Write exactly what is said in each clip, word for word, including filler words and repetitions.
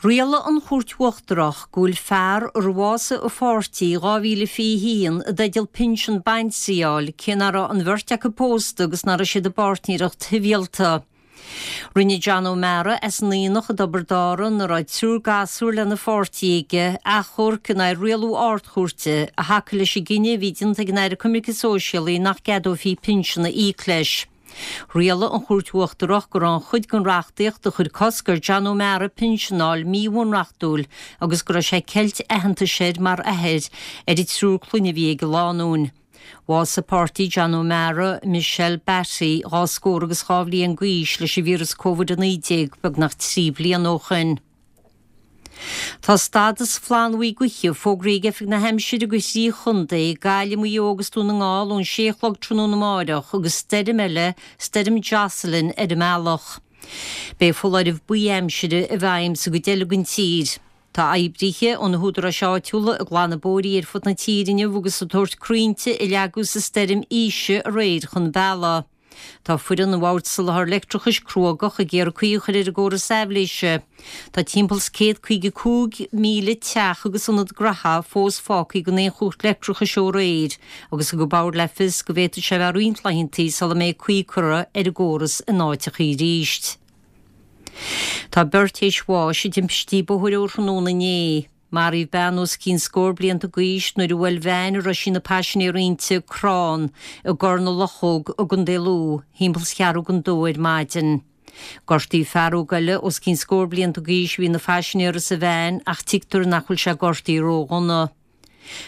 Rialaigh an Chúirt Uachtarach go bhfuil fear ar bhásaigh a pháirtí i dhá mhíle fiche haon i dteideal pinsean baintrí a fháil cé nach raibh an bheirt acu pósta agus nach raibh siad i bpáirtnéireacht shibhialta. Rinne John O'Mara as an Aonach i dTobar Dárann, a raibh triúr gasúr lena pháirtí aige, achomharc in aghaidh rialú Ard-Chúirte a thacaigh leis an gcinneadh a bhí déanta ag an Aire Coimirce Sóisialaí nach gceadófaí pinsean a íoc leis. Rialaigh an Chúirt Uachtarach go raibh an chuid den reachtaíocht a chuir cosc ar John O'Mara pinsean a fháil míbhunreachtúil agus go raibh sé ag ceilt aitheantais air mar athair ar an triúr clainne a bhí ag an lánúin. Bhásaigh páirtí John O'Mara, Michelle Batty, dhá scór agus dhá bhliain d'aois, leis an víreas Covid a naoi déag beagnach trí bliana ó shin. Tá stádas flannbhuí gaoithe fógraithe ag Oifig na hAimsire do thrí chontae, Gaillimh, Maigh Eo agus Dún na nGall, ón sé a chlog tráthnóna amáireach agus stoirm eile, Stoirm Jocelyn, ar an mbealach. Beidh foláireamh buí aimsire i bhfeidhm sa gcuid eile den tír. Tá oibrithe ó na húdaráis áitiúla ag glanadh bóithrí ar fud na tíre inniu agus ag tabhairt crainnte a leagadh sa stoirm Isha aréir chun bealaigh. Tá foireann an Bhoird Soláthair Leictreachais cruógach ag iarraidh caoi a chur ar an gcóras aibhléise. Tá timpeall is céad caoga cúig míle teach agus ionad gnaithe fós fágtha gan aon chumhacht leictreachais ó aréir agus thug an Bord le fios go bhféadfadh sé a bheith roinnt laethanta sula mbeidh caoi curtha ar an gcóras in áiteacha arís. Tá beirt théis bháis i dtimpistí bóthair ó thráthnóna inné. Maraíodh bean os cionn scór blianta d'aois nuair a bhuail veain a raibh sí ina paisinéir inti crann i gCorr na Luchóg i gContae Lú thimpeall is ceathrú don dó ar maidin. Gortaíodh fear óg eile os cionn scór blianta d'aois a bhí ina phaisinéir sa veain ach tuigtear nach bhfuil sé gortaithe ródhona.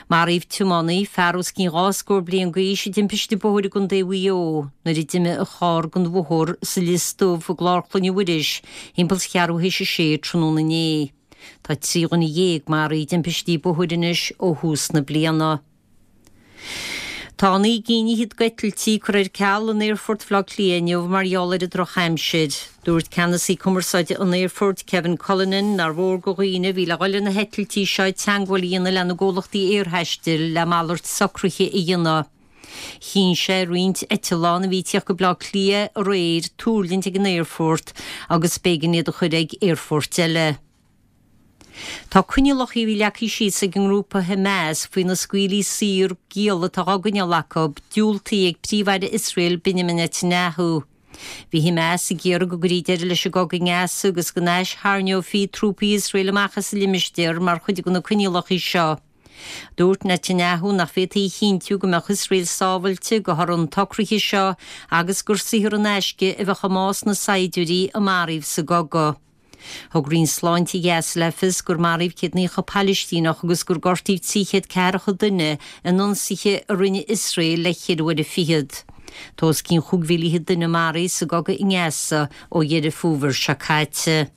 Maraíodh tiománaí, fear os cionn dhá scór bliain d'aois i dtimpiste bóthair i gContae Mhaigh Eo nuair a d'imigh a charr den bhóthar sa Lios Dubh i gClár Chloinne Mhuiris thimpeall is ceathrú théis a sé tráthnóna inné. Tá trí dhuine dhéag maraithe i dtimpistí bóthair anois ó thús na bliana. Tá naoi gcinn fhichead d'eitiltí curtha ar ceal in Aerfort Bhaile Átha Cliath inniu mar gheall ar an drochaimsir. Dúirt ceannasaí cumarsáide an aerfoirt, Kevin Cullinan, nár mhór do dhaoine a bhí le dhul ar na heitiltí seo teagmháil a dhéanamh lena gcomhlachtaí aerthaistil le malairt socruithe a dhéanamh. Chinn sé ar roinnt eitleán a bhí ag tíocht go Baile Átha Cliath aréir tuirlingt ag an aerfort agus b'éigean iad a chur ag aerfoirt eile. Tá coinníollacha a bhí leagtha síos ag an ngrúpa Hamas faoi na scaoilí saor giall atá á gcoinneáil acu diúltaithe ag Príomh-Aire Iosrael Benjamin Netanyahu. Bhí Hamas ag iarraidh go gcuirfí deireadh leis an gcogadh i nGaza agus go n-aistharraingeofaí trúpaí Iosrael amach as an limistéar mar chuid de na coinníollacha seo. Dúirt Netanyahu nach bhféadfaí a chinntiú go mbeadh Iosrael sábhailte de thoradh an tsocraithe seo agus gur saothar in aisce a bheadh i mbás na saighdiúirí a maraíodh sa gcogadh. Thug Roinn Sláinte Ghaza le fios gur maraíodh céad naocha Palaistíneach agus gur gortaíodh trí chéad ceathracha duine in ionsaithe a rinne Iosrael le ceithre uaire fichead. Tá os cionn chúig mhíle fhichead duine maraithe sa gcogadh i nGaza ó Dheireadh Fómhair seo caite.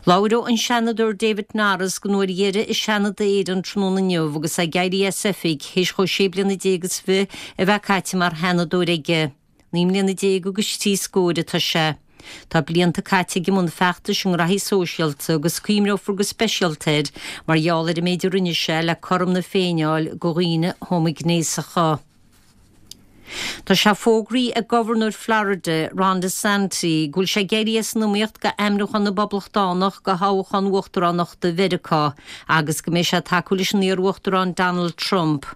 Labhróidh an Seanadóir David Norris don uair dheiridh i Seanad Éireann tráthnóna inniu agus é ag éirí as oifig théis dhó sé bliana déag is fiche a bheith caite mar Sheanadóir aige. Naoi mbliana déag agus trí scóir atá sé. Tá blianta caite aige i mbun feachtais i ngraithí sóisialta agus cuimhneofar go speisialta air mar gheall ar an méid a rinne sé le cothrom na Féinne a fháil do dhaoine homaighnéasacha. Tá sé fógraithe ag Gobharnóir Florida, Ron DeSantis, go bhfuil sé ag éirí as an iomaíocht d'ainmniúchán na bPoblachtánach do thoghchán uachtaránachta Mheiriceá agus go mbeidh sé ag tacú leis an iar-uachtarán Donald Trump.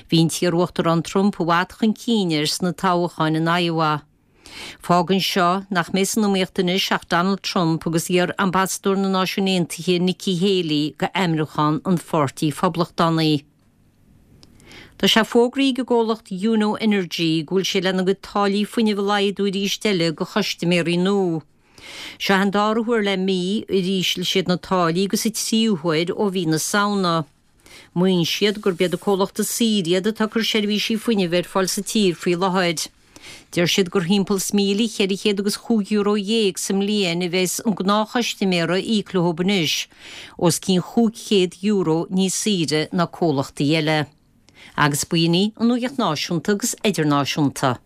Bhí an t-iar-uachtarán Trump i bhfad chun cinn air sna toghcháin in Iowa. Fágann seo nach mbeidh san iomaíocht anois ach Donald Trump agus iar-ambasadóir na Náisiún Aontaithe Nikki Haley d'ainmniúchán an Pháirtí Phoblachtánaigh. Tá sé fógraithe ag an gcomhlacht Yuno Energy go bhfuil sé lena gcuid táillí fuinnimh a laghdú arís eile do chustaiméirí nua. Seo an dara huair le mí ar ísligh siad na táillí agus an tríú huair ó mhí na Samhna. Maíonn siad gurb iad an comhlacht is saoire iad atá ag cur seirbhísí fuinnimh ar fáil sa tír faoi láthair. Deir siad gur thimpeall is míle cheithre chéad agus chúig euro dhéag sa mbliain a bheas an gnáthchustaiméir ag íoc leo anois, os cionn chúig chéad euro níos saoire ná comhlachtaí eile. Agus b'in í an nuacht náisiúnta agus idirnáisiúnta.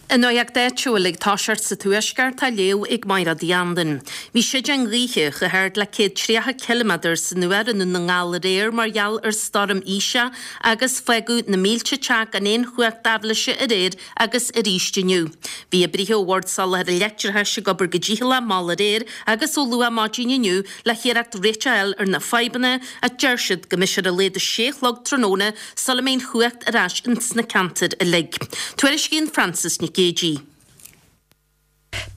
An nuacht áitiúil ag toiseacht sa Tuaisceart á léamh ag Máire Uí Andain. Bhí séideán gaoithe chomh hard le céad tríocha ciliméadar san uair i nDún na nGall aréir mar gheall ar Stoirm Isha agus fágadh na mílte teach gan aon chumhacht aibhléise aréir agus arís inniu. Bhí oibrithe ó Bhord Soláthair Leictreachais ag obair go dícheallach mall aréir agus ó luath maidin inniu le hiarracht réiteach a fháil ar na fadhbanna ach deir siad go mbeidh sé ar a laghad a sé a chlog tráthnóna sula mbeidh an chumhacht ar ais ins na ceantair uilig. Tuairiscíonn Frances Nic Géadaigh.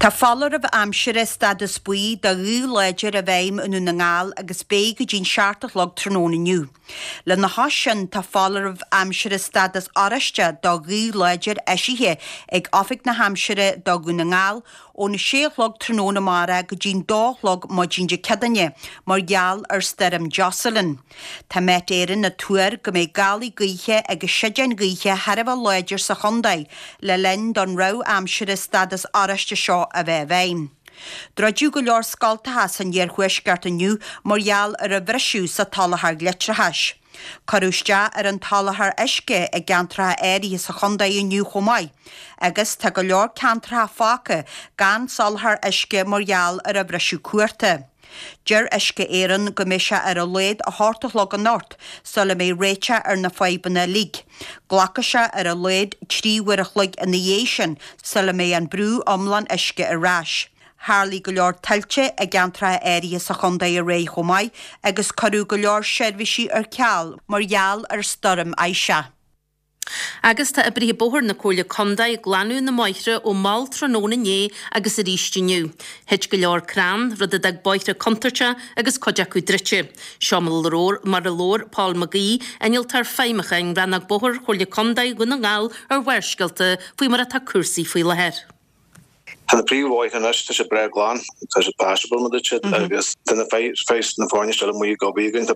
Tá foláireamh aimsire stádas buí do ghaoth láidir i bhfeidhm i nDún na nGall agus beidh go dtí'n seacht a chlog tráthnóna inniu. Lena chois sin tá foláireamh aimsire stádas oráiste do ghaoth láidir eisithe ag Oifig na hAimsire do Dhún na nGall óna sé a chlog tráthnóna amárach go dtí'n dó a chlog maidin Dé Céadaoine mar gheall ar Stoirm Jocelyn. Tá Met Éireann ag tuar go mbeidh gálaí gaoithe agus séideáin ghaoithe thar a bheith láidir sa chontae le linn don rabhadh aimsire stádas oráiste seo a bheith i bhfeidhm. Druideadh go leor scoltacha san iarthuaisceart inniu mar gheall ar an bhriseadh sa tsoláthar leictreachais. Cuireadh isteach ar an tsoláthar uisce i gceantracha áirithe sa chontae inniu chomh maith, agus tá go leor ceantracha fágtha gan soláthar uisce mar gheall ar an bhriseadh cuarta. Deir Uisce Éireann go mbeidh sé ar a laghad a hocht a chlog anocht sula mbeidh réiteach ar na fadhbanna uilig. Glacfaidh sé ar a laghad trí uair a chloig ina dhiaidh sin sula mbeidh an brú iomlán uisce ar ais. Tharlaigh go leor tuilte i gceantracha áirithe sa chontae aréir chomh maith agus cuireadh go leor seirbhísí ar ceal mar gheall ar Stoirm Isha. Agus tá oibrithe bóthair na Comhairle Contae ag glanadh na mbóithre ó mhall tráthnóna inné agus arís inniu. Thit go leor crann, rud a d'fhág bóithre contúirteach agus cuid acu druidte. Seo mar a labhair Paul McGee, Innealtóir Feidhmiúcháin, Rannóg Bóthair Chomhairle Contae Dhún na nGall ar Bharrscéalta faoi mar atá cúrsaí faoi láthair. Tá na príomhbhóithre anois, tá sé breá glan, tá sé passable mar a deir siad agus tá na feis na foirne seo amuigh ag obair againn, tá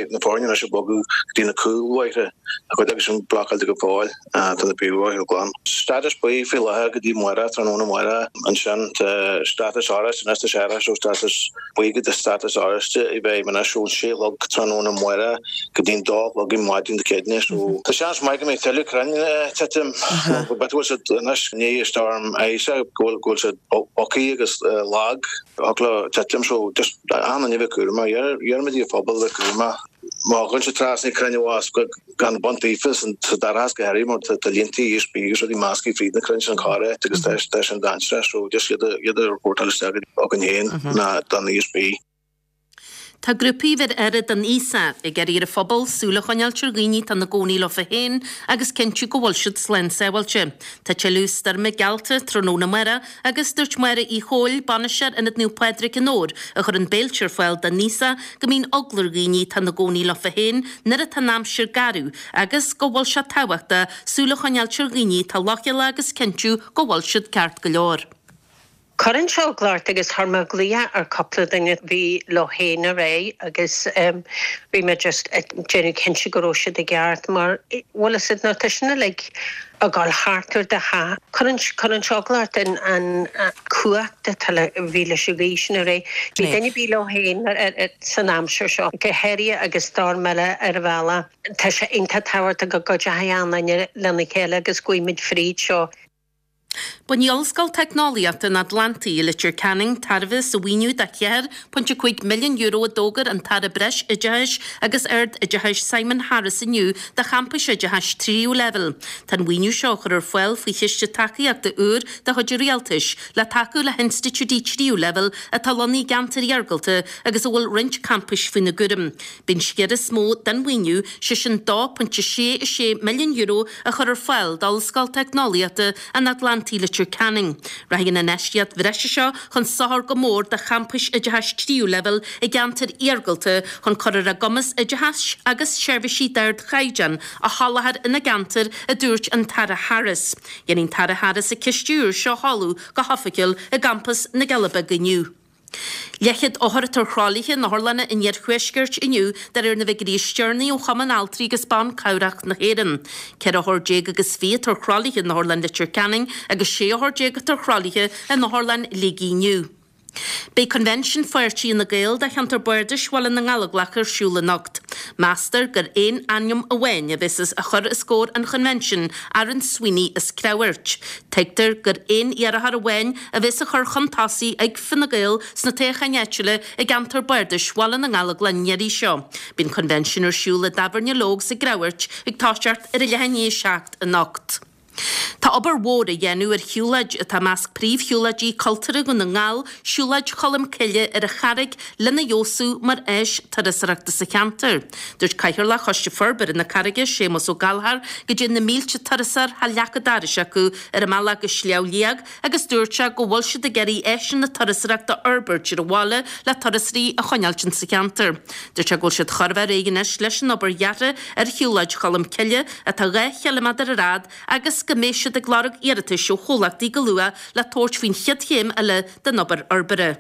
na foirne anois ag bogadh go dtí na cúlbhóithre, tá cuid acu sin blocáilte go fóill, tá na príomhbhóithre glan. Stádas buí faoi láthair go dtí amárach, tráthnóna amárach, ansin tá stádas oráiste anois, tá sé ar ais ó stádas buí go dtí stádas oráiste i bhfeidhm anois ón sé a chlog tráthnóna amárach go dtí an dó a chlog ar maidin Dé Céadaoine. So tá seans maith go mbeidh tuilleadh crainn ag titim, go bhfuil siad anois i ndiaidh Storm Isha go bhfuil go bhfuil siad bogtha agus lag, thig leo titim so just achan duine a bheith cúramach, iarraimid ar an phobal a bheith cúramach. Má ghabhann siad trasna crainn abhus gan baint daofa sa dorchadas go háirithe mar tá línte ESB agus rudaí measctha fríd na crainn sin corráit agus tá sin dainséarach so just iad iad a reportáil isteach againn féin ná don ESB. Tá grúpaí a bheir aire don aosach ag iarraidh ar an phobal súil a choinneáilt ar dhaoine atá ina gcónaí leofa féin agus cinntiú go bhfuil siad slán sábháilte. Tá tuilleadh stoirme geallta tráthnóna amárach agus dúirt Máire Uí Chomhaill, Bainisteoir Ionad Naomh Pádraig i nDobhar, a chuireann béilte ar fáil don aosach, go mbíonn eagla ar dhaoine atá ina gcónaí leofa féin nuair atá an aimsir garbh agus go bhfuil sé tábhachtach súil a choinneáilt ar dhaoine atá leochaileach agus cinntiú go bhfuil siad ceart go leor. Cuireann sé eagla ort agus chuir mé glaoch ar cúpla duine a bhí leo féin aréir agus bhí mé just ag déanamh cinnte go raibh siad i gceart mar bhfuil fhios a'd nuair atá sin uilig ag dul thart ar do theach cuireann cuireann sé eagla ort an an cumhacht atá le bhí leis an ghaoth sin aréir. Bhí duine ar bith leo féin san aimsir seo go háirithe agus stoirm eile ar an bhealach. Tá sé iontach tábhachtach go gcuideoidh achan duine lena chéile agus go bhfuil muid fríd seo. Bainfidh Ollscoil Teicneolaíochta an Atlantaigh i Leitir Ceanainn tairbhe as an mhaoiniú de cheathair pointe a cúig milliún euro a d'fhógair an tAire Breis-Oideachais agus Ard-Oideachais Simon Harris inniu do champais oideachais tríú leibhéal. Tá an mhaoiniú seo á chur ar fáil faoi chiste tacaíochta úr de chuid an Rialtais le tacú le hinstitiúidí tríú leibhéal atá lonnaithe i gceantair iargúlta agus a bhfuil roinnt campais faoina gcúram. Beidh an sciar is mó den mhaoiniú, sé sin dó pointe sé a sé milliún euro, á chur ar fáil d'Ollscoil Teicneolaíochta an Atlantaigh Leitir Ceanainn. Rachaidh an infheistíocht bhreise seo chun sochair go mór do champais oideachais tríú leibhéal i gceantair iargúlta chun cur ar a gcumas oideachas agus seirbhísí d'ardchaighdeán a sholáthar ina gceantair, a dúirt an tAire Harris. Déanfaidh an tAire Harris an cistiú úr seo a sheoladh go hoifigiúil i gCampas na gCealla Beaga inniu. Leathchéad othar atá ar thralaithe in otharlanna an iarthuaiscirt inniu de réir na bhfigiúirí is deireanaí ó Chumann Altraí agus Ban Cabhrach na hÉireann. Ceithre othar déag agus fiche atá ar thralaithe in Otharlann Leitir Ceanainn agus sé othar déag atá ar thralaithe in Otharlann Shligigh inniu. Beidh Convention Pháirtí Fhine Gael do cheantar Bardais Bhaile na nGallóglach ar siúl anocht. Meastar gur aon ainm amháin a bheas á chur os comhair an Choinbhinsiúin, Aaron Sweeney as Creabhairt. Tuigtear gur aon iarrthóir amháin a bheas á chur chun tosaigh ag Fine Gael sna toghcháin áitiúla i gceantar bardais Bhaile na nGallóglach an iarraidh seo. Beidh an Coinbhinsiún ar siúl i dTábhairne Logue's i gCreabhairt ag toiseacht ar a leath i ndiaidh a seacht anocht. Tá obair mhór á dhéanamh ar shiúlóid atá i measc príomhshiúlóidí cultúrtha Dhún na nGall, Siúlóid Cholm Cille ar an Charraig, lena fheabhsú mar áis turasóireachta sa cheantar. Dúirt Cathaoirleach Choiste Forbartha na Carraige, Séamus Ó Gallchóir, go dtéann na mílte turasóir thar leac an dorais acu ar a mbealach go Sliabh Liag agus dúirt sé go bhfuil siad ag iarraidh áiseanna turasóireachta a fhorbairt ar an bhaile le turasóirí a choinneáilt insa cheantar. Dúirt sé go bhfuil siad chóir a bheith réidh anois leis an obair dheartha ar Shiúlóid Cholm Cille atá dhá chiliméadar ar fhad agus go mbeidh siad ag lorg iarratais ó chomhlachtaí go luath le tabhairt faoin chéad chéim eile den obair fhorbartha.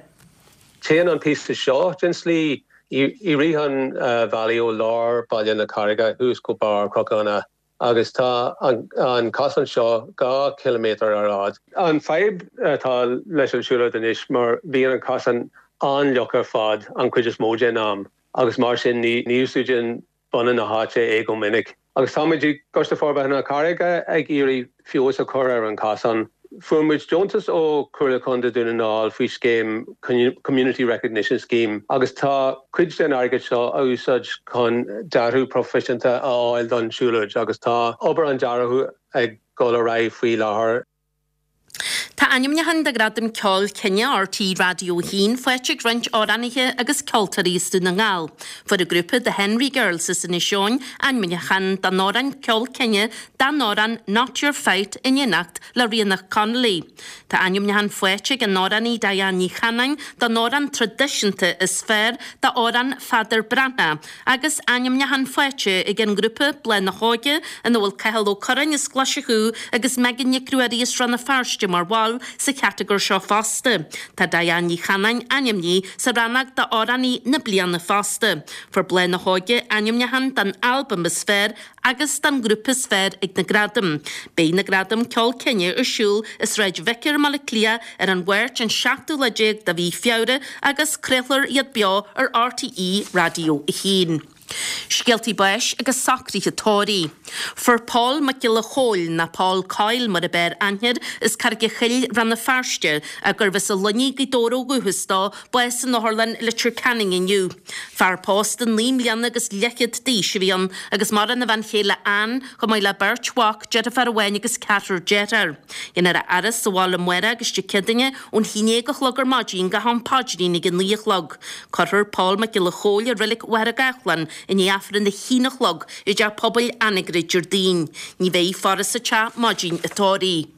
Téann an píosa seo den slí i rith an bhealaigh ó lár Baile na Carraige thuas go barr Cnoc agus tá an cosán seo dhá chiliméadar ar fhad. An fadhb atá leis an siúlóid anois mar bhíonn an cosán an-fhliuch ar fad an chuid is mó den am agus mar sin ní úsáideann bunadh na háite é go minic. Agus táimid i gCoiste Forbartha na Carraige ag iarraidh feabhas a chur ar an cosán. Fuair muid deontas ó Chomhairle Contae Dhún na nGall faoi scéim Community Recognition Scheme agus tá cuid den airgead seo a úsáid chun dearadh proifisiúnta a fháil don siúlóid agus tá obair an dearadh ag dul ar aghaidh faoi láthair. Tá ainmniúchán do Ghradam Ceoil Cine RTÉ Raidió a haon faighte ag roinnt amhránaithe agus ceoltóirí as Dún na nGall. Fuair an grúpa The Henry Girls as Inis Eoghain ainmniúchán don amhrán Ceol Cine don amhrán Not Your Fight in éineacht le Ríonach Connolly. Tá ainmniúchán faighte ag an amhránaí Diane Ní Chanainn don amhrán traidisiúnta is fearr d'amhrán Pheadar Breathnach agus ainmniúchán faighte ag an ngrúpa Bláth na hÓige ina bhfuil Cathal Ó Curráin as Glaise Chú agus Megan Nic Ruairí as Rann na Feirste mar bhall sa chatagóir seo fosta. Tá Diane Ní Chanainn ainmnithe sa rannóg d'amhránaí na bliana fosta. Fuair Bláth na hÓige ainmniúchán don albam is fearr agus don ghrúpa is fearr ag na gradaim. Beidh na gradaim Ceol Cine ar siúl i Sráid Vicar i mBaile Átha Cliath ar an Mháirt an seachtú lá déag de mhí Feabhra agus craolfar iad beo ar RTÉ Raidió a haon. Scéaltaí báis agus socruithe tórraimh. Fuair Pól Mac Giolla Chóill, nó Paul Coyle mar ab fhearr aithne air, as Carraig an Choill, Rann na Feirste, gurbh as an Luinnigh, Gaoth Dobhair ó dhúchas dó, bás in Otharlann Leitir Ceanainn inniu. Fear pósta naoi mbliana agus leathchéad d'aois a bhí ann agus maireann a bhean chéile Ann, chomh maith le beirt mhac, deirfiúr amháin agus ceathrar dearthár. Déanfar a fhaire sa bhaile amárach agus Dé Céadaoine ón haon déag a chlog ar maidin go ham paidrín ag a naoi a chlog. Cuirfear Pól Mac Giolla Chóill i Reilig Mhachaire Gathlán i ndiaidh Aifreann a haon a chlog i dTeach Pobail Anagaire Déardaoin. Ní bheidh faire sa teach maidin an tórraimh.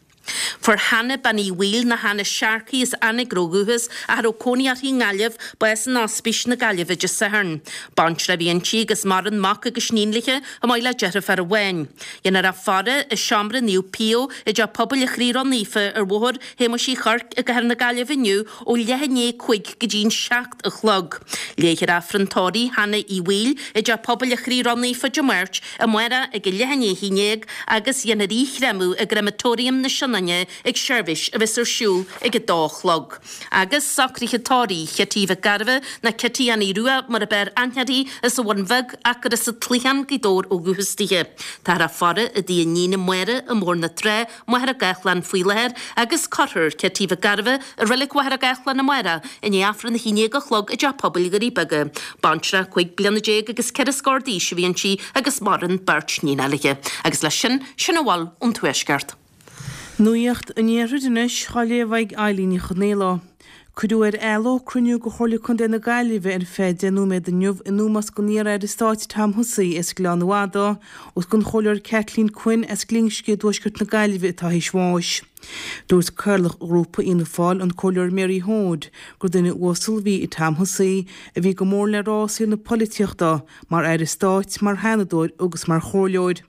Fuair Hannah Bean Uí Bhaoill nó Hannah Sharkey as Anagaire ó dhúchas ach a raibh cónaí uirthi i nGaillimh, bás in Ospís na Gaillimhe Dé Sathairn. Baintreach a bhí inti agus maireann mac agus iníon léi, chomh maith le deirfiúr amháin. Déanfar a faire i Seomra Naomh Pio i dTeach Pobail an Chroí Ró-Naofa ar Bhóthar Shéamuis Uí Chuirc i gCathair na Gaillimhe inniu ó leath i ndiaidh a cúig go dtí an seacht a chlog. Léifear Aifreann tórraimh Hannah Uí Bhaoill i dTeach Pobail an Chroí Ró-Naofa Dé Máirt, amárach ag a leath i ndiaidh a haon déag agus dhéanfar í a chréamadh i gCreamatóiriam na Sionainne ag seirbhís a bheas ar siúl ag a dó a chlog. Agus socruithe tórraimh Chití Mhic Gairbheith, nó Cití Annie Rua mar ab fhearr aithne uirthi, as an Bhun Bheag ach gur as an Cloicheán, Gaoth Dobhair ó dhúchas dithe. Táthar á faire i dtigh a níne Máire i mBóthar na Trá, Machaire Gathlán faoi láthair agus cuirfear Cití Mhic Gairbheith i Reilig Mhachaire Gathlán amárach i ndiaidh Aifreann a haon déag a chlog i dTeach Pobail Dhoirí Beaga. Baintreach cúig bliana déag agus ceithre scór d'aois a bhí inti agus maireann beirt níon léi. Agus leis sin, sin a bhfuil ón Tuaisceart. Nuacht an Iarthair anois á léamh ag Eilín Ní Chonaola. Cuireadh ar athló cruinniú de Chomhairle Contae na Gaillimhe ar feadh deich nóiméad inniu in ómós don iar-aire stáit Tom Hussey as Gleann Fhada agus don Chomhairleoir Kathleen Quinn as Glinsce i dtuaisceart na Gaillimhe atá théis bháis. Dúirt Cathaoirleach Ghrúpa Fhianna Fáil, an Comhairleoir Mary Hoade, gur duine uasal a bhí i Tom Hussey a bhí go mór le rá i saol na polaitíochta, mar aire stáit, mar sheanadóir agus mar chomhairleoir.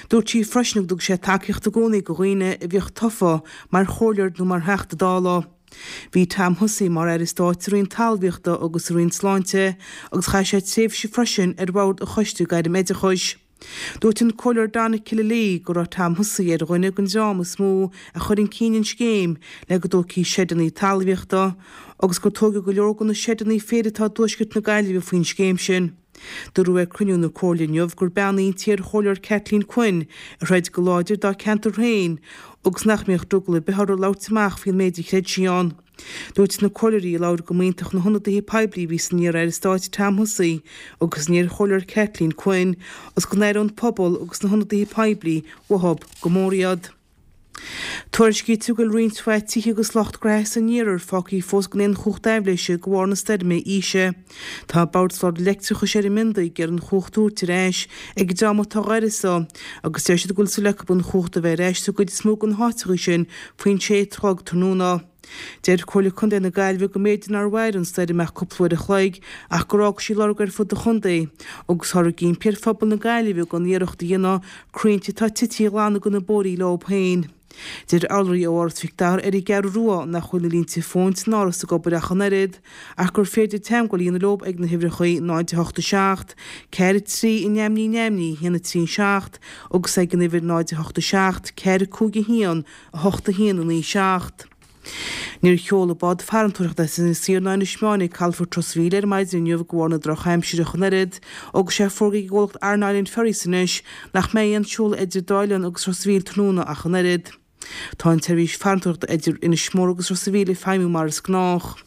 Dúirt sí freisin go dtug sé tacaíocht i gcónaí do dhaoine a bhíodh tofa mar chomhairleoir nó mar Theachta Dála. Bhí Tom Hussey mar Aire Stáit sa Roinn Talmhaíochta agus sa Roinn Sláinte agus chaith sé tréimhse freisin ar bhord an Choiste Gairm-Oideachais. Dúirt an Comhairleoir Donna Killilea go raibh Tom Hussey ar dhuine den dream is mó a chuir chun cinn an scéim le go dtógfaí seideanna talmhaíochta agus gur tógadh go leor de na seideanna féir atá i dtuaisceart na Gaillimhe faoin scéim sin. Dúradh ag cruinniú na Comhairle inniu gur bean í an t-iarchomhairleoir Kathleen Quinn a throid go láidir dá ceantar féin agus nach mbeadh drogall ar bith uirthi labhairt amach faoin méid a chreid sí ann. Dúirt na comhairleoirí a labhair go mb'iontach na hionadaithe poiblí a bhí san iar-aire stáit Tom Hussey agus san iarchomhairleoir Kathleen Quinn agus go n-aireodh an pobal agus na hionadaithe poiblí uathu go mór iad. Tuairiscítear go bhfuil roinnt mhaith tithe agus lucht gnaithe san iarthar fágtha fós gan aon chumhacht aibhléise de bharr na stoirme Isha. Tá Bord Soláthair Leictreachais ar an miondaigh ag iarraidh an chumhacht a thabhairt ar ais ag an dream atá á uireasa agus deir siad go bhfuil súil acu an chumhacht a bheith ar ais sa gcuid is mó de na háiteacha sin faoin sé a chlog tráthnóna. Deir Comhairle Contae na Gaillimhe go mb'fhéidir nár mhair an stoirm ach cúpla uair a chloig ach gur fhág sí lorg ar fud an chontae agus táthar ag impí ar phobal na Gaillimhe gan iarracht a dhéanamh crainnte atá tite a ghlanadh de na bóithrí leo féin. Deir urlabhraí ó Áras Mhic Dara ar an gCeathrú Rua nach bhfuil na línte fóin san áras ag obair ach an oiread ach gur féidir teagmháil a dhéanamh leo ag na huimhreacha náid a hocht a seacht, ceathair a trí, neamhní neamhní, a haon a trí a seacht agus ag an uimhir náid a hocht a seacht, ceathair cúig a haon, a hocht a haon a naoi seacht. Níor sheol an bád farantóireachta as Inis Oírr ná Inis Meáin ag calafort Ros a' Mhíl ar maidin inniu de bharr na drochaimsire ach an oiread, agus tá sé fógartha ag an gcomhlacht Aran Island Ferries anois nach mbeidh aon seoladh idir an dá oileán agus Ros a' Mhíl tráthnóna ach an oiread. Tá an tseirbhís farantóireachta idir Inis Mór agus Ros a' Mhíl ag feidhmiú mar is gnách.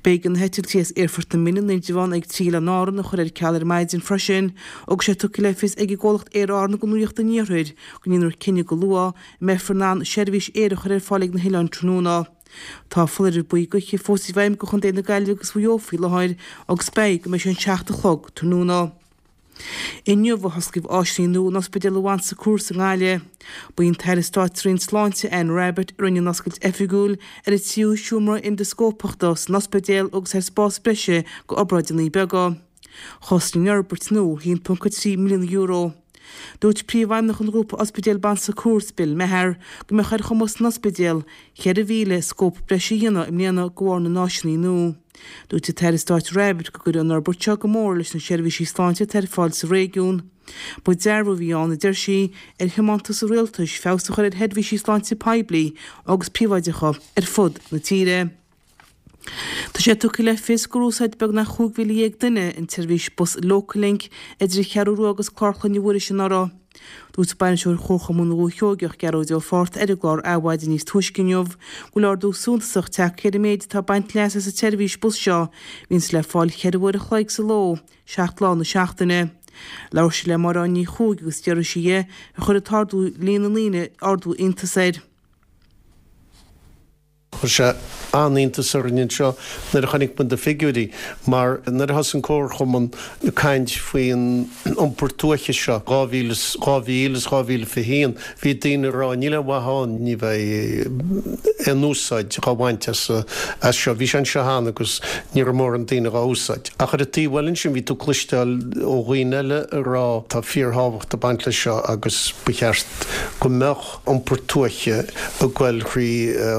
B'éigean na heitiltí as Aerfort na Minne in Indreabhán ag trí Oileáin Árann a chur ar ceal ar maidin freisin agus é tugtha le fios ag an gcomhlacht Aer Árann do Nuacht an Iarthair go ndéanfar cinneadh go luath an mbeifear in ann seirbhís aeir a chur ar fáil ag na hoileáin tráthnóna. Tá foláireamh buí gaoithe fós i bhfeidhm do Chontae na Gaillimhe agus Mhaigh Eo faoi láthair agus beidh go mbeidh sé an seacht a chlog tráthnóna. Inniu a hosclaíodh áiseanna nua in Ospidéal Bon Secours i nGaillimh. Ba í an tAire Stáit sa Roinn Sláinte, Anne Rabbitte, a rinne an oscailt oifigiúil ar an tríú seomra endoscópachta san ospidéal agus ar spás breise d'obráideanna beaga. Chosain an fhorbairt nua a haon ponc a trí milliún euro. Dúirt Príomhfheidhmeannach an Ghrúpa Ospidéal Bon Secours, Bill Meagher, go mbeadh ar chumas an ospidéil ceithre mhíle scóp breise a dhéanamh i mbliana de bharr na n-áiseanna nua. Dúirt an tAire Stáit Rabbitte go gcuirfidh an fhorbairt seo go mór leis na seirbhísí sláinte atá ar fáil sa réigiún. Ba dearbhú a bhí ann, a deir sí, ar thiomantas an rialtais feabhas a chur ar sheirbhísí sláinte poiblí agus príobháideacha ar fud na tíre. Tá sé tugtha le fios gur úsáid beagnach chúig mhíle dhéag duine an tseirbhís bus Locallink idir an Cheathrú Rua agus Clár Chlainne Mhuiris anuraidh. Dúirt Bainisteoir Chomharchumann Dhúiche Sheoigeach, Gearóid Ó Fátharta ar an gclár Adhmhaidin níos túisce inniu go bhfuil ardú suntasach tagtha ar an méid atá ag baint leas as an tseirbhís bus seo, a bhíonns le fáil cheithre uair a chloig sa ló, seacht lá na seachtaine. Labhair sé le Máire Ní Chuaig agus d'fhiafraigh sí dhe ar chuir an t-ardú líon na ndaoine ardú iontas air. Chuir sé an-iontas orainn anseo nuair a chonaic muid na figiúirí mar nuair a thosaigh an Comharchumann ag caint faoin iompar tuaithe seo dhá mhíle is dhá mhíle is dhá mhíle fiche haon bhí daoine ag rá níl aon mhaith ann, ní bheidh aon úsáid dhá bhaint as as seo. Bhí sé anseo cheana agus ní raibh mórán daoine dhá úsáid. Ach ar an taobh eile ansin bhí tú ag cloisteáil ó dhaoine eile ag rá tá fíorthábhacht ag baint leis seo agus ba cheart go mbeadh iompar tuaithe ag goil thrí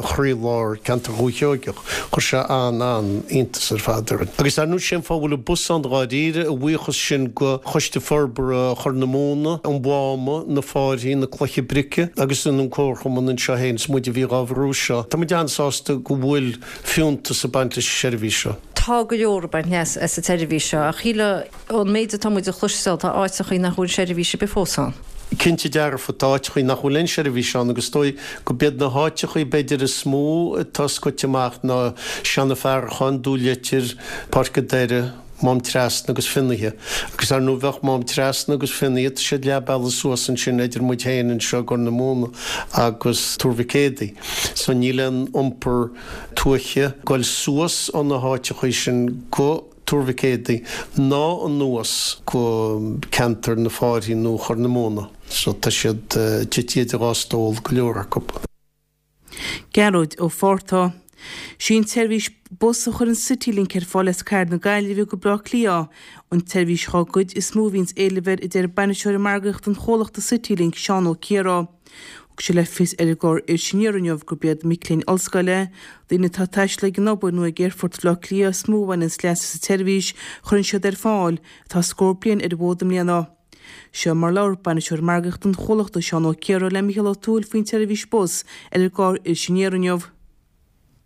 chroílár ceantar Dhúiche Sheoigeach. Chuir sé an-an-iontas ar fad orainn. Agus ar ndóigh sé an fáth a bhfuil an bus ann dháiríre, a bhuíochas sin go Choiste Forbartha Chorr na Móna, an Mháma, na Fáirthí, na Cloiche Brice agus an Comharchumann anseo féin, is muid a bhí dhá bhrú seo. Tá muid an-sásta go bhfuil fiúntas ag baint leis an seirbhís seo. Tá go leor ag baint leas as an tseirbhís seo ach shílfeá ón méid atá muid a chloisteáil tá áiteachaí nach bhfuil seirbhís ar bith fós ann. Cinnte dearfa, tá áiteachaí nach bhfuil aon seirbhís ann agus is dóigh go b'iad na háiteachaí b'fhéidir is mó atá scoite amach ná Seanadh Farracháin, Dún Leitir, Páirc an Doire, Mám Trasna agus Finnaithe. Agus ar ndóigh bheadh Mám Trasna agus Finnaithe, tá siad leath bealaigh suas ansin idir muid féin anseo i gCorr na Móna agus Tuar Mhic Éadaigh. So níl aon iompar tuaithe ag goil suas ó na háiteachaí sin go. Tuar Mhic Éadaigh ná anuas go ceantar na Fáirthí nó Chorr na Móna. So tá siad tite idir dhá stól, go leor acu. Gearóid Ó Fátharta. Sí an tseirbhís bus a chuireann Citylink ar fáil as cathair na Gaillimhe go Baile Átha Cliath an tseirbhís dhá gcuid is mó a bhíonns éileamh air a deir bainisteoir margaíochta an chomhlachta Citylink, Seán Ó Ciardha. Thug sé le fios ar an gclár Iris Aniar inniu gurb iad mic léinn ollscoile, daoine atá ag taisteal ag an obair nó ag Aerfort Bhaile Átha Cliath is mó a bhaineanns leas as an tseirbhís a chuireann siad ar fáil, atá scór bliain ar an bhfód i mbliana. Seo mar labhair Bainisteoir Margaíochta an chomhlachta, Seán Ó Ciardha le Mícheál Ó Tuathail faoin tseirbhís bus ar an gclár Iris Aniar inniu.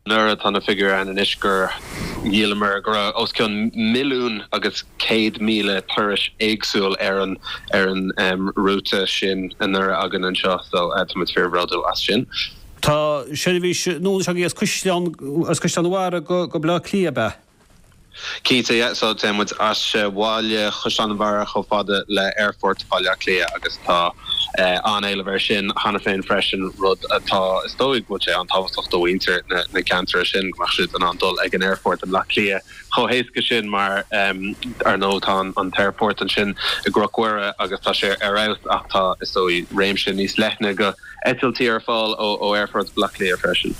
Nuair atá na figiúirí ann anois gur Dhíolamar go raibh os cionn milliún agus céad míle turais éagsúil ar an ar an um, rúta sin anuraidh againn anseo so uh, tá muid fíorbhródúil as sin. Tá seirbhís nua agaibh as Caisleán as Caisleán an Bharraigh go go Baile Átha Cliath ab ea. Cinnte yeah, so tá muid as bhaile Chaisleán an Bharraigh chomh fada le Aerfort Bhaile Átha Cliath agus tá uh, an-éileamh air sin cheana féin freisin rud atá is dóigh go bhfuil sé an-tábhachtach do mhuintir na, na ceantar sin go mbeadh siad in ann dul ag an aerfort i mBaile Átha Cliath chomh héasca sin mar um, ar ndóigh tá an t-aerfort ansin i gCnoc Mhuire agus tá sé ar fheabhas ach tá is dóigh réimse níos leithne go eitiltí ar fáil ó ó Aerfort Bhaile Átha Cliath freisin.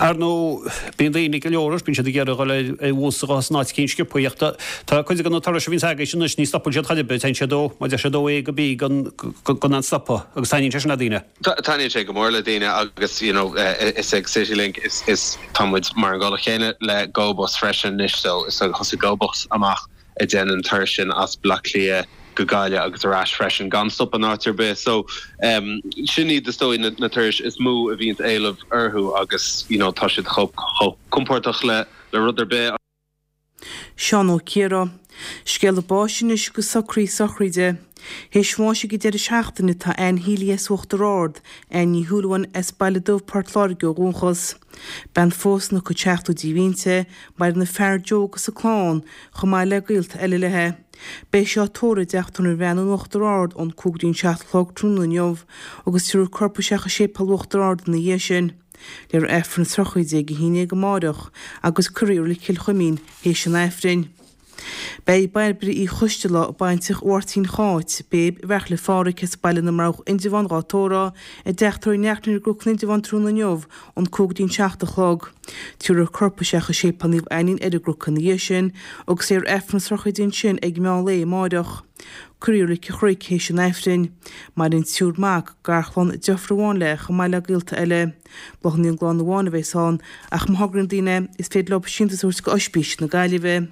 Ar ndóigh bíonn daoine go leor bíonn siad ag iarraidh dul ar bhus agus san áit cinn sciobtha Tá cuid de na turais a bhíonn agaibh anois ní stopann siad chor ar bith téann siad ó má deir siad ó A go B gan gan aon stopadh agus taitníonn sé sin le daoine. Taitníonn sé go mór le daoine agus you know, uh, is ag Citylink is, is tá muid mar an gcéanna le GoBus freisin anois so is thosaigh GoBus amach ag déanamh an turas sin as Baile Átha Cliath go Gaillimh agus ar ais freisin gan stop an áit ar bith so um, sin iad is dóigh na, na turais is mó a bhíonn éileamh orthu agus you know, tá siad chomh compordach le le rud ar bith. Seán Ó Ciara. Scéala báis anois go socraí sochraide. Théis bháis ag an deireadh seachtaine tá Anne Healy as Uachtar Ard, Anne Ní Shúilleabháin as Baile Dubh Port Láirge ó dhúchas. Bean phósta ina cuid seachtóidí a bhí inti, maireann a fear Joe agus a clann, chomh maith le gaolta eile léi. Beidh sí á tórramh i dTeach Tórraimh an Bhreathnaigh in Uachtar Ard ón cúig go dtí an seacht a chlog tráthnóna inniu, agus tabharfar a corp isteach i séipéal Uachtar Ard ina dhiaidh sin. Léifear Aifreann na sochraide ag a haon déag amáireach agus cuirfear í i Reilig Chill Chuimín théis an Aifrinn. Beidh Bairbre Uí Choisteala baintreach Mháirtín Cháit, Béib Bheartla Pháraic as Baile na mBroghach Indreabhán dhá tórramh i dteach tórraimh Neachtain ar gCnoc in Indreabhán tráthnóna inniu ón cúig go dtí an seacht a chlog. Tabharfar a corp isteach i séipéal Naomh Ainnín ar an gCnoc ina dhiaidh sin agus léifear Aifreann na sochraide ansin ag meán lae amáireach. Cuirfear í i Reilig an Chnoic théis an Aifrinn. Maireann triúr mac, garchlann, deirfiúr amháin léi chomh maith le gaolta eile. Bláthanna ón gclann amháin a bheas ann ach má thograíonn daoine is féidir leo síntiús a thabhairt go Ospís na Gaillimhe.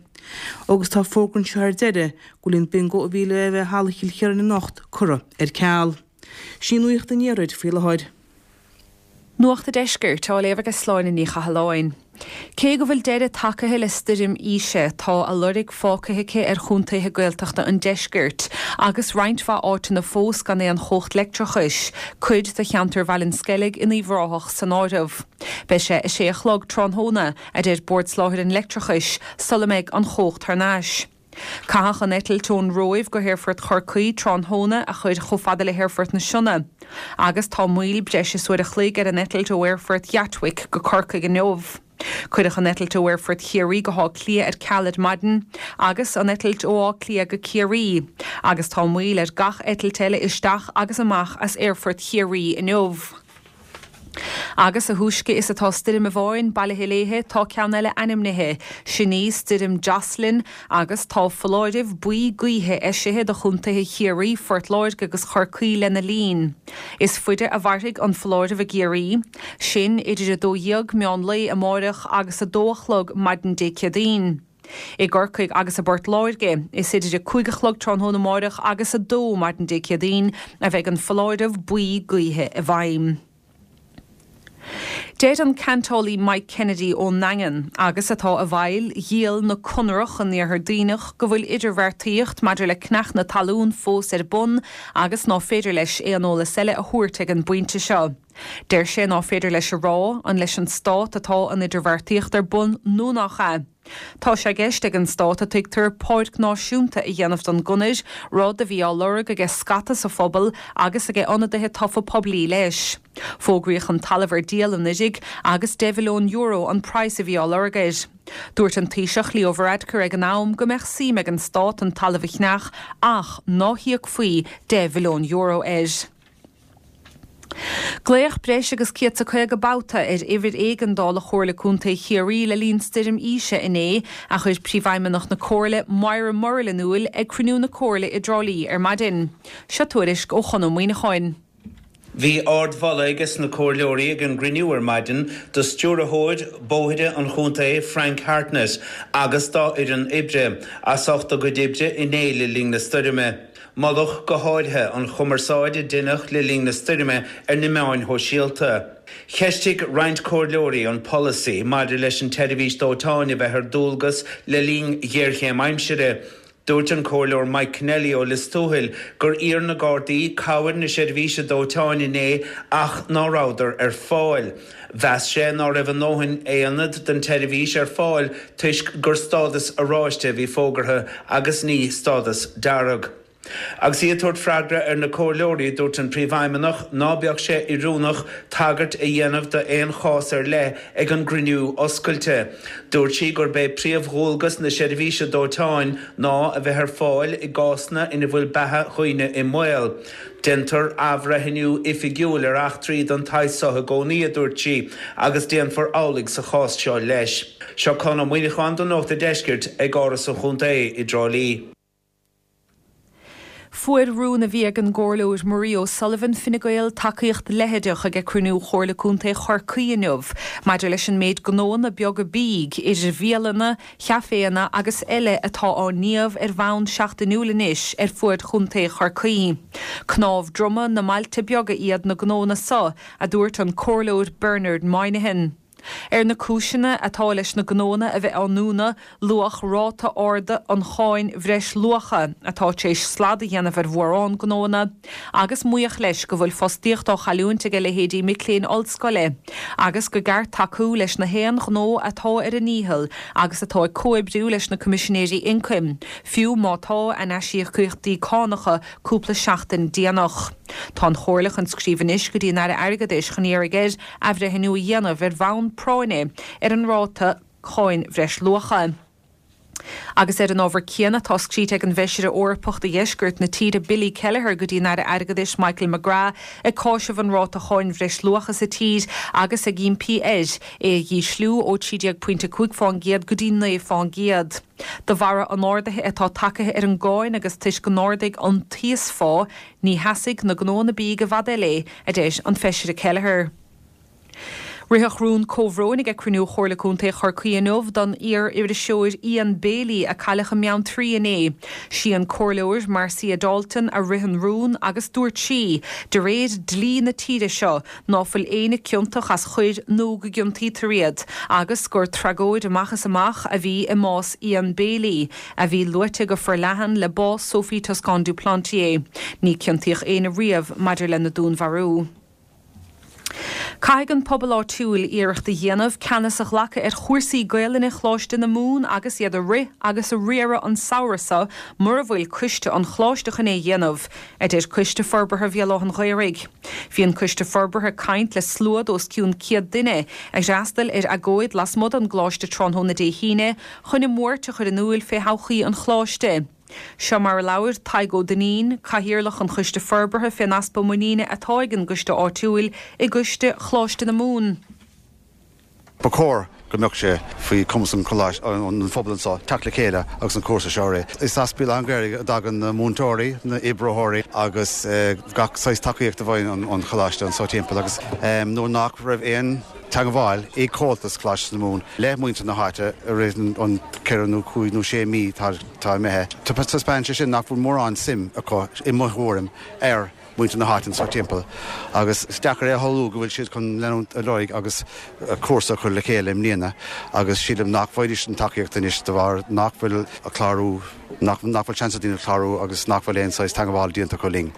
Agus tá fógra anseo ar deireadh go bhfuil an bingo a bhí le bheith i Halla Chill Chiaráin anocht curtha ar ceal. Sin nuacht an iarthair faoi láthair. Nuacht an Deiscirt á léamh ag Sláine Ní Chathalláin. Cé go bhfuil deireadh tagtha le stoirm Isha tá a lorg fágtha aici ar chontaetha Gaeltachta an deiscirt, agus roinnt mhaith áiteanna fós gan aon chumhacht leictreachais, cuid de cheantar Bhaile an Sceilg in Uíbh Ráthach san áireamh. Beidh sé a sé a chlog tráthnóna a deir Bord Soláthair an Leictreachais sula mbeidh an chumhacht thar n-ais. Caitheadh an eitilt ón Róimh go hAerfort Chorcaí tráthnóna a chuir chomh fada le hAerfort na Sionna. Agus tá moill breis is uair a chloig ar an eitilt ó Aerfort Gatwick go Corcaigh inniu. Cuireadh an eitilt ó Aerfort Chiarraí go hÁth Cliath ar ceal ar maidin, agus an eitilt ó Áth Cliath go Ciarraí, agus tá moill ar gach eitilt eile isteach agus amach as Aerfort Chiarraí inniu. Agus a thúisce is atá stoirm amháin bailithe léi tá ceann eile ainmnithe, sin í stoirm Jocelyn agus tá foláireamh buí gaoithe eisithe do chontaetha Chiarraí, Phort Láirge agus Chorcaí lena linn. Is faide a mhairfidh an foláireamh i gCiarraí, sin idir a dó dhéag meán lae amáireach agus a dó a chlog maidin Dé Céadaoin. I gCorcaigh agus i bPort Láirge, is idir a cúig a chlog tráthnóna amáireach agus a dó maidin Dé Céadaoin a bheidh an foláireamh buí gaoithe i bhfeidhm. Deir an ceantálaí Mike Kennedy ón nDaingean agus atá i bhfeighil dhíol na Conrach in Iarthar Duibhneach go bhfuil idirbheartaíocht maidir le ceannach na talún fós ar bun agus ná féidir leis aon eolas eile a thabhairt ag an bpointe seo. Deir sé ná féidir leis a rá an leis an stát atá an idirbheartaíocht ar bun nó nach ea. Tá sé i gceist ag an stát a tuigtear páirc náisiúnta a dhéanamh den gconair, rud a bhí á lorg aige scata sa phobal agus aige ionadaithe tofa poiblí leis. Fógraíodh an talamh ar díol anuraidh agus deich mhilliún euro an praghas a bhí á lorg air. Dúirt an Taoiseach Leo Varadkar ag an am go mbeadh suim ag an stát an talamh a cheannach ach ná híocfaí deich mhilliún euro air. Glaodh breis agus céad is caoga babhta ar uimhir éigeandála Chomhairle Contae Chiarraí le linn stoirm Isha inné a chuir príomhfheidhmeannach na Comhairle Moira Murrell in iúl ag cruinniú na Comhairle i dTrá Lí ar maidin. Seo tuairisc ó Chonó Muineacháin. Bhí ardmholadh aige sna comhairleoirí ag an gcruinniú ar maidin do stiúrthóir bóithre an chontae Frank Hartnett agus dá fhoireann oibre as ucht a gcuid oibre inné le linn na stoirme. Moladh go háirithe an chumarsáid a deineadh le linn na stoirme ar na meáin shóisialta. Cheistigh roinnt comhairleoirí an polasaí maidir leis an tseirbhís dóiteáin a bheith ar dualgas le linn ghéarchéim aimsire. Dúirt an Comhairleoir Mike Kennelly ó Lios Tuathail gur iarr na Gardaí cabhair na seirbhíse dóiteáin inné ach ná rabhadar ar fáil. Mheas sé ná raibh a ndóthain aonad den tseirbhís ar fáil toisc gur stádas oráiste a bhí fógartha agus ní stádas dearg. Agus í ag tabhairt freagra ar na comhairleoirí, dúirt an Príomhfheidhmeannach ná beadh sé oiriúnach tagairt a dhéanamh d'aon chás ar leith ag an gcruinniú oscailte. Dúirt sí gurb é príomhdhualgas na seirbhíse dóiteáin ná a bheith ar fáil i gcásanna ina bhfuil beatha dhaoine i mbaol. Déantar athbhreithniú oifigiúil ar eachtraí den tsaghas seo i gcónaí, a dúirt sí, agus déanfar amhlaidh sa chás seo leis. Seo Conn Ó Muíneacháin do Nuacht an Deiscirt ag Áras an Chontae i dTrá Lí. Fuair rún a bhí ag an gComhairleoir Marie O'Sullivan, Fine Gael, tacaíocht leitheadach ag cruinniú Chomhairle Contae Chorcaí inniu maidir leis an méid gnóanna beaga bídh, idir bhialanna, chaiféanna agus eile atá á ndíobh ar bhonn seachtainiúil anois ar fuaid Chontae Chorcaí. Cnámh droma na mbailte beaga iad na gnóanna so, a dúirt an Comhairleoir Bernard Moynihan. Ar na cúiseanna atá leis na gnóanna a bheith á ndúnadh, luadh ráta ard an cháin bhreisluacha, atá tar éis slad a dhéanamh ar mhórán gnóanna, agus maíodh leis go bhfuil fostaíocht á chailliúint ag a leithéidí mic léinn ollscoile, agus go gceart tacú leis na haon ghnó atá ar a ndícheall agus atá ag comhoibriú leis na Coimisinéirí Ioncaim, fiú má tá a n-aisíocaíochtaí cánacha cúpla seachtain déanach. Tá an Chomhairle chun scríobh anois go dtí an Aire Airgeadais chun iarraidh air athbhreithniú a dhéanamh ar bhonn práinne ar an ráta cáin bhreisluacha. Agus ar an ábhar céanna, tá scríte ag an bhFeisire Eorpach do dheisceart na tíre Billy Kelleher go dtí an Aire Airgeadais Michael McGrath ag cáiseamh an ráta cháin bhreisluacha sa tír agus ag impí air é a dhísliú ó trí déag pointe cúig fán gcéad go dtí naoi fán gcéad. De bharra an ardaithe atá tagtha ar an gcáin agus toisc go n-ardaigh an t-íosphá, ní sheasfaidh na gnóanna bídh i bhfad eile, a deir an Feisire Kelleher. Ritheadh rún comhbhróin ag cruinniú Chomhairle Contae Chorcaí inniu don iar-iriseoir Ian Bailey a cailleadh i mBeanntraí inné. Sí an Comhairleoir Marcia Dalton a rith an rún agus dúirt sí, de réir dlí na tíre seo, ná fuil éinne ciontach as choir nó go gciontaítear iad agus gur tragóid amach is amach a bhí i mbás Ian Bailey, a bhí luaite go forleathan le bás Sophie Toscan du Plantier. Ní ciontaíodh éinne riamh maidir lena dúnmharú. Caithfidh an pobal áitiúil iarracht a dhéanamh ceannas a ghlacadh ar chúrsaí Gaelainne Choláiste na Mumhan agus iad a rith agus a riaradh an samhradh seo mura bhfuil coiste an choláiste chun é a dhéanamh, a deir Coiste Forbartha Bhéal Átha'n Ghaorthaidh. Bhí an Coiste Forbartha ag caint le slua d'os cionn céad duine a d'fhreastail ar agóid lasmuigh den gcoláiste tráthnóna Dé hAoine chun a mbuairt a chur in iúil fé thodhchaí an choláiste. Seo mar a labhair Tadhg Ó Duinnín, Cathaoirleach an Choiste Forbartha fén easpa muiníne atá ag an gcoiste áitiúil i gcoiste Choláiste na Mumhan. Ba chóir go mbeadh sé faoi chumas an choláiste, an phobail anseo teacht le chéile agus an cúrsa seo a rith. Is as Béal Átha an Ghaorthaidh a dtagann na múinteoirí, na oibritheoirí agus gach saghas tacaíocht a bhfaigheann an choláiste anseo timpeall agus nuair nach raibh aon teagmháil ag Comhaltas Choláiste na Mumhan le muintir na háite i rith an ceithre nó cúig nó sé mí atá imithe, taispeánann sé sin nach bhfuil mórán suim acu, i mo thuairim, ar mhuintir na háite anseo timpeall agus is deacair é a shamhlú go bhfuil siad chun leanúint ar aghaidh agus cúrsa a chur le chéile i mbliana agus sílim nach bhfaighidís an tacaíocht anois de bharr nach bhfuil clárú, nach bhfuil seans ag daoine clárú agus nach bhfuil aon saghas teagmháil déanta acu linn.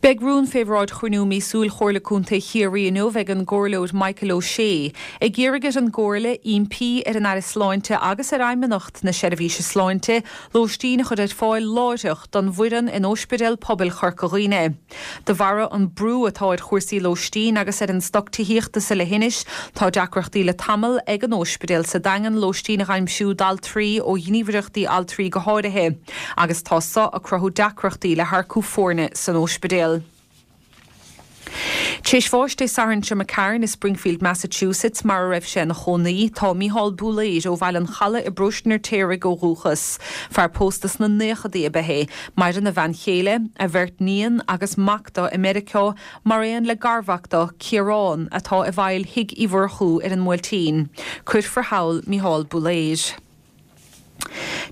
Beidh rún fé bhráid chruinniú míosúil Chomhairle Contae Chiarraí inniu ag an gComhairleoir Michael O'Shea ag iarraidh ar an gComhairle impí ar an Aire Sláinte agus ar Fheidhmeannacht na Seirbhíse Sláinte lóistín a chur ar fáil láithreach don bhfoireann in Óispidéal Pobail Chorca Dhuibhne. De bharra an brú atá ar chúrsaí lóistín agus ar an stoc tithíochta sa leithinis, tá deacrachtaí le tamall ag an óispidéal sa Daingean lóistín a dh'aimsiú d'altraí ó ghníomhaireachtaí altraí go háirithe. agus tá so ag cruthú deacrachtaí le hearcú foirne san óispidéal. Tar éis bháis Dé Sathairn seo imigh tharainn i Springfield, Massachusetts, mar a raibh sé ina chónaí, tá Mícheál Búlaeir ó Bhaile an Chalaidh i bparóiste an Fheirtéaraigh ó dhúchas. Fear pósta sna naochadaí ab ea é. Maireann a bhean chéile, a bheirt níon agus mac dó i Meiriceá, mar aon le garmhac dó, Ciarán, atá i bhfeighil Thigh Uí Mhurchú ar an mBuailtín. Cuirfear thall Mícheál Búlaeir.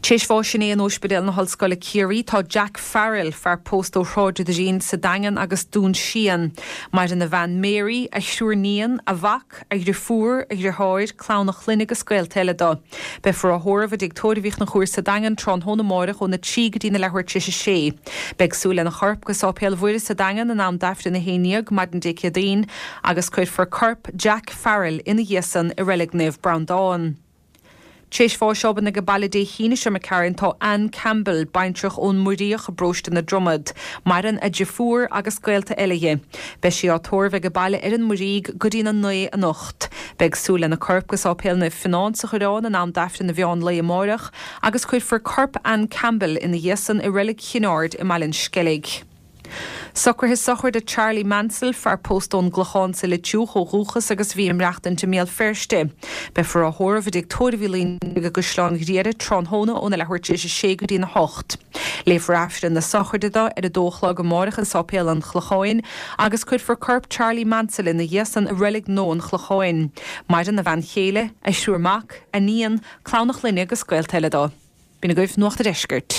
Théis bháis inné in Ospidéal na hOllscoile Ciarraí tá Jack Farrell, fear pósta ó Shráid an Doirín sa Daingean agus Dún Síon. Maireann a bhean Mary, a thriúr níon, a mhac, a dheirfiúr, a dheartháir, clann a chlainne agus gaolta eile dó. Beifear á thórramh i dTigh Tórraimh Uí Chonchúir sa Daingean tráthnóna amáireach óna trí go dtí na leathuair tar éis a sé. Beidh súil lena chorp go Sáipéal Mhuire sa Daingean in am d'Aifreann a haon déag maidin Dé Céadaoin agus cuirfear corp Jack Farrell ina dhiaidh san i Reilig Naomh Breandán. Théis bháis obann age baile Dé hAoine seo imigh tharainn tá Anne Campbell, baintreach ón Muiríoch i bparóiste na Dromad. Maireann a deirfiúr agus gaolta eile dhi. Beidh sí á tórramh age baile ar an Muirígh go dtína naoi anocht. Beidh súil lena corp go Sáipéal Naomh Fionán sa Choireán in am d'Aifreann an mheán lae amáireach agus cuirfear corp Anne Campbell ina dhiaidh san i Reilig Chinn Aird i mBaile an Sceilg. Socruithe sochraide Charlie Mansell, fear pósta ón gClochán sa Leitriúch ó dhúchas agus a bhí ag maireachtaint i mBéal Feirste. Beifear á thórramh i dTigh Tórraimh Uí Loingsigh i gCaisleán Ghriaire tráthnóna óna leathuair tar éis a sé go dtína hocht. Léifear Aifreann na sochraide dó ar a dó a chlog amárach i Sáipéal an Chlocháin agus cuirfear corp Charlie Mansell ina dhiaidh san i Reilig Nua an Chlocháin. Maireann a bhean chéile, a thriúr mac, a níon, clann a chlainne agus gaolta eile dó. B'in agaibh Nuacht a' Deiscirt.